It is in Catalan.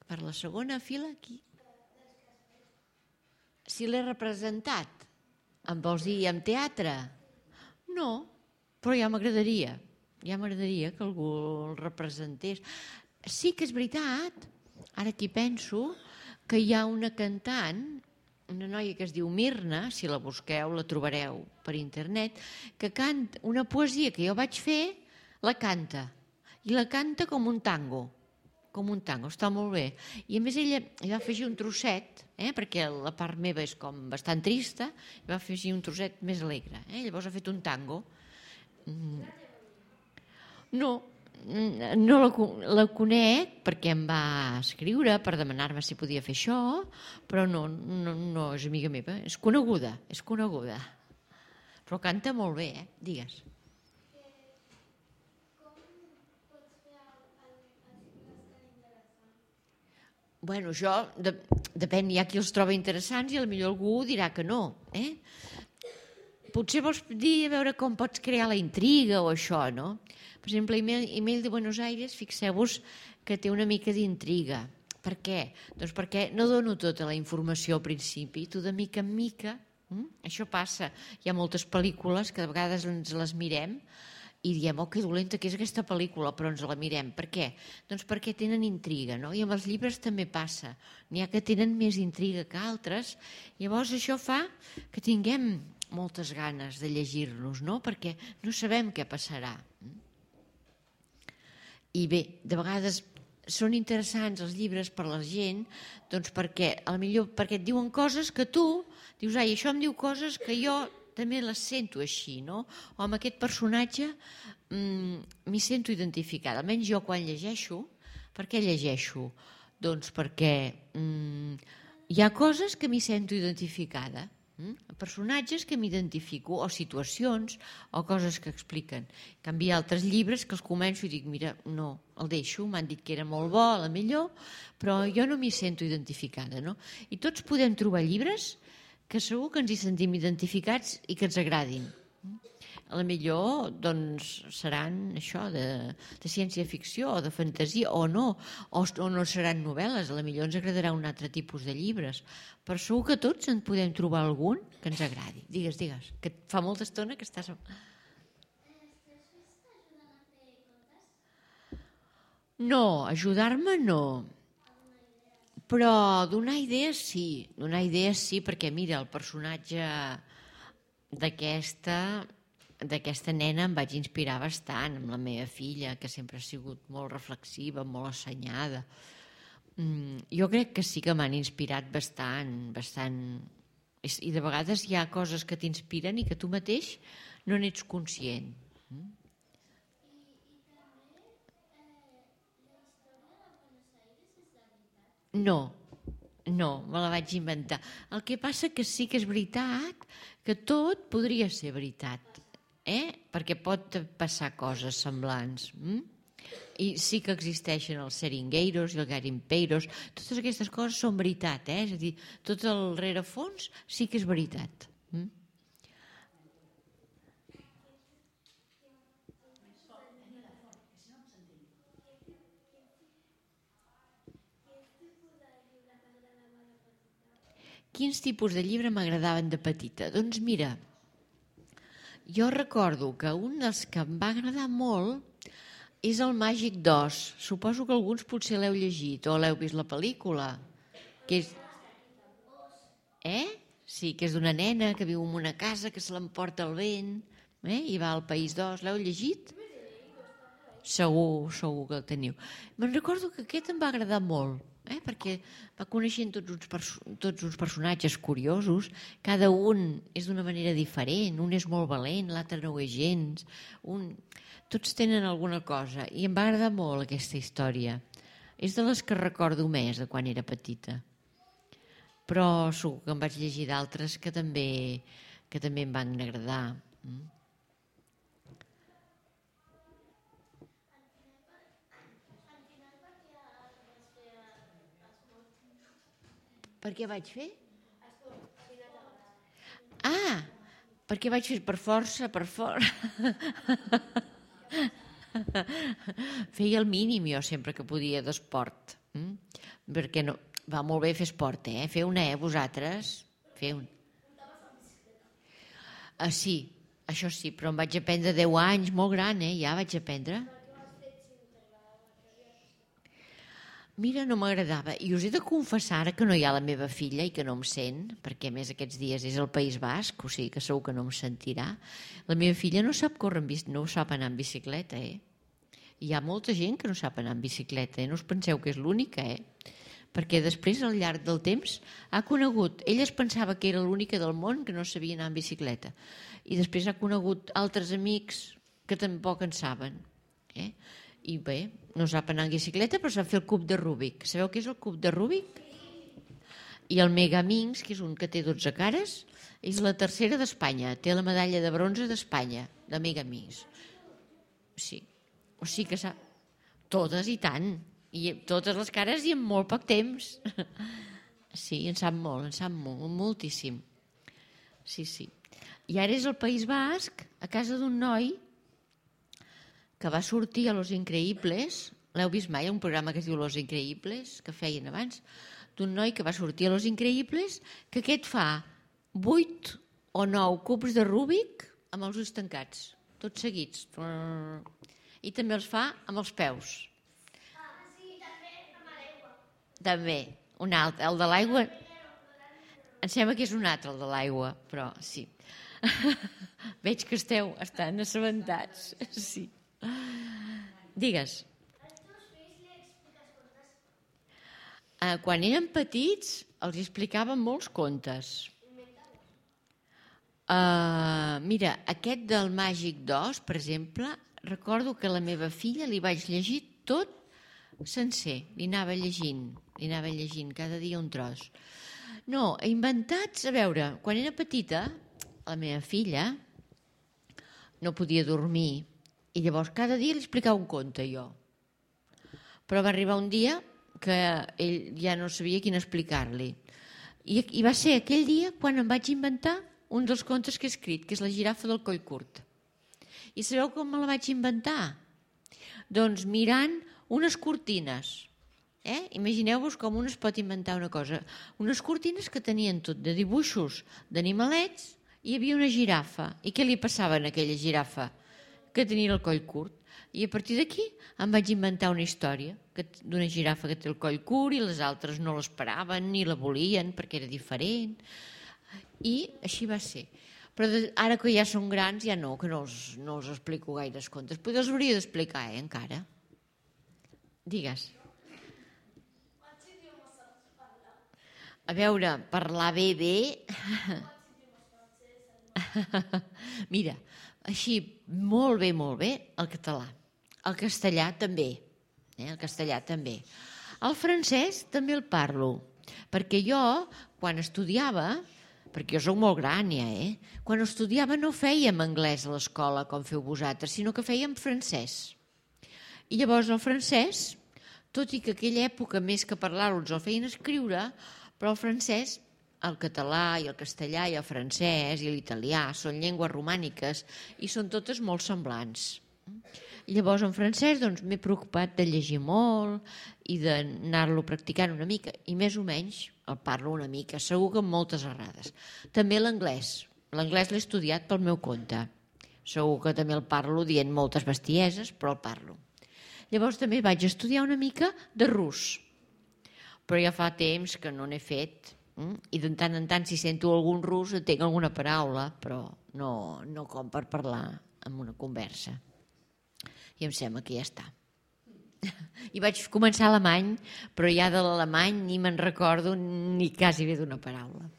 Per la segona fila, aquí. Si l'he representat, em vols dir en teatre? No, però ja m'agradaria que algú el representés. Sí que és veritat, ara que hi penso, que hi ha una cantant, una noia que es diu Mirna, si la busqueu la trobareu per internet, que canta una poesia que jo vaig fer, la canta, i la canta com un tango, està molt bé. I a més ella hi va afegir un trosset, perquè la part meva és com bastant trista, i va afegir un trosset més alegre. Llavors ha fet un tango. No la conec perquè em va escriure per demanar-me si podia fer això, però no és amiga meva, és coneguda. Però canta molt bé, digues. Bueno, això depèn, hi ha qui els troba interessants i potser algú dirà que no. Potser vols dir a veure com pots crear la intriga o això, no? Per exemple, Email de Buenos Aires, fixeu-vos que té una mica d'intriga. Per què? Doncs perquè no dono tota la informació al principi, tu de mica en mica, això passa. Hi ha moltes pel·lícules que de vegades ens les mirem i diem, oh, que dolenta que és aquesta pel·lícula, però ens la mirem. Per què? Doncs perquè tenen intriga, no? I amb els llibres també passa. N'hi ha que tenen més intriga que altres. Llavors això fa que tinguem moltes ganes de llegir-los, no? Perquè no sabem què passarà. I bé, de vegades són interessants els llibres per la gent, doncs perquè et diuen coses que tu dius, ai, això em diu coses que jo també les sento així, no? O amb aquest personatge m'hi sento identificada. Almenys jo quan llegeixo, per què llegeixo? Doncs perquè hi ha coses que m'hi sento identificada, personatges que m'identifico, o situacions, o coses que expliquen. En canvi, hi ha altres llibres que els començo i dic, mira, no, el deixo, m'han dit que era molt bo, a la millor, però jo no m'hi sento identificada, no? I tots podem trobar llibres que segur que ens hi sentim identificats i que ens agradin. A la millor doncs, seran això de ciència-ficció o de fantasia o no seran novel·les, a la millor ens agradarà un altre tipus de llibres, però segur que tots en podem trobar algun que ens agradi. Digues, que fa molta estona que estàs... No, ajudar-me no. Però donar idees sí, perquè mira, el personatge d'aquesta nena em vaig inspirar bastant, amb la meva filla, que sempre ha sigut molt reflexiva, molt assenyada. Jo crec que sí que m'han inspirat bastant. I de vegades hi ha coses que t'inspiren i que tu mateix no n'ets conscient. No, me la vaig inventar. El que passa que sí que és veritat que tot podria ser veritat, perquè pot passar coses semblants. I sí que existeixen els seringueiros i els garimpeiros. Totes aquestes coses són veritat, és a dir, tot el rerefons sí que és veritat. Quins tipus de llibre m'agradaven de petita? Doncs mira, jo recordo que un dels que em va agradar molt és el Màgic d'Oz. Suposo que alguns potser l'heu llegit o l'heu vist la pel·lícula. Que és... Sí, que és d'una nena que viu en una casa que se l'emporta el vent i va al País d'Oz. L'heu llegit? Segur que el teniu. Me'n recordo que aquest em va agradar molt, perquè va coneixent tots uns personatges curiosos, cada un és d'una manera diferent, un és molt valent, l'altre no ho és gens, tots tenen alguna cosa, i em va agradar molt aquesta història. És de les que recordo més de quan era petita, però segur que em vaig llegir d'altres que també em van agradar. Per què vaig fer? Perquè vaig fer per força. Feia el mínim jo sempre que podia d'esport. perquè no... Va molt bé fer esport, Fer una, vosaltres? Fer un... Sí, això sí, però em vaig aprendre 10 anys, molt gran, ja vaig aprendre. Mira, no m'agradava. I us he de confessar ara que no hi ha la meva filla i que no em sent, perquè a més aquests dies és al País Basc, o sigui que segur que no em sentirà. La meva filla no sap córrer no sap anar en bicicleta, Hi ha molta gent que no sap anar en bicicleta, No us penseu que és l'única, Perquè després, al llarg del temps, ha conegut... Ella es pensava que era l'única del món que no sabia anar en bicicleta. I després ha conegut altres amics que tampoc en saben, I bé, no sap anar en bicicleta, però sap fer el cub de Rubik. Sabeu què és el cub de Rubik? I el Megaminx, que és un que té 12 cares, és la tercera d'Espanya. Té la medalla de bronze d'Espanya, de Megaminx. Sí. O sigui que sap... Totes i tant. I totes les cares i en molt poc temps. Sí, en sap molt, moltíssim. Sí. I ara és al País Basc, a casa d'un noi que va sortir a Los Increïbles. L'heu vist mai, un programa que es diu Los Increïbles, que feien abans, d'un noi que va sortir a Los Increïbles, que aquest fa 8 o 9 cubs de Rubik amb els ulls tancats, tots seguits. I també els fa amb els peus. Sí, també amb l'aigua. També, un altre, el de l'aigua... Em sembla que és un altre, el de l'aigua, però sí. Veig que estan assabentats, sí. Digues. Als teus fills li expliques contes? Quan eren petits els explicaven molts contes. Mira, aquest del Màgic d'Oz, per exemple, recordo que a la meva filla li vaig llegir tot sencer. Li anava llegint cada dia un tros. No, inventats, a veure, quan era petita, la meva filla no podia dormir i llavors cada dia li explicava un conte jo. Però va arribar un dia que ell ja no sabia quin explicar-li. I va ser aquell dia quan em vaig inventar un dels contes que he escrit, que és La girafa del coll curt. I sabeu com me la vaig inventar? Doncs mirant unes cortines. Imagineu-vos com un es pot inventar una cosa. Unes cortines que tenien tot de dibuixos d'animalets i hi havia una girafa. I què li passava a aquella girafa? Que tenia el coll curt. I a partir d'aquí em vaig inventar una història d'una girafa que té el coll curt i les altres no l'esperaven ni la volien perquè era diferent. I així va ser. Però ara que ja són grans ja no, que no us explico gaires contes. Però els hauria d'explicar, encara. Digues. Quants idiomes saps parlar? A veure, parlar bé. Mira, així, molt bé, el català. El castellà també. El castellà també. El francès també el parlo. Perquè jo, quan estudiava, perquè jo soc molt gran ja, quan estudiava no fèiem anglès a l'escola com feu vosaltres, sinó que fèiem francès. I llavors el francès, tot i que aquella època més que parlar-lo ens el feien escriure, però el francès, el català i el castellà i el francès i l'italià són llengües romàniques i són totes molt semblants. Llavors en francès m'he preocupat de llegir molt i d'anar-lo practicant una mica i més o menys el parlo una mica, segur que amb moltes errades. També l'anglès l'he estudiat pel meu compte, segur que també el parlo dient moltes bestieses, però el parlo. Llavors també vaig estudiar una mica de rus, però ja fa temps que no n'he fet i de tant en tant si sento algun rus entenc alguna paraula, però no com per parlar en una conversa. I em sembla que ja està. I vaig començar alemany, però ja de l'alemany ni me'n recordo ni quasi bé d'una paraula.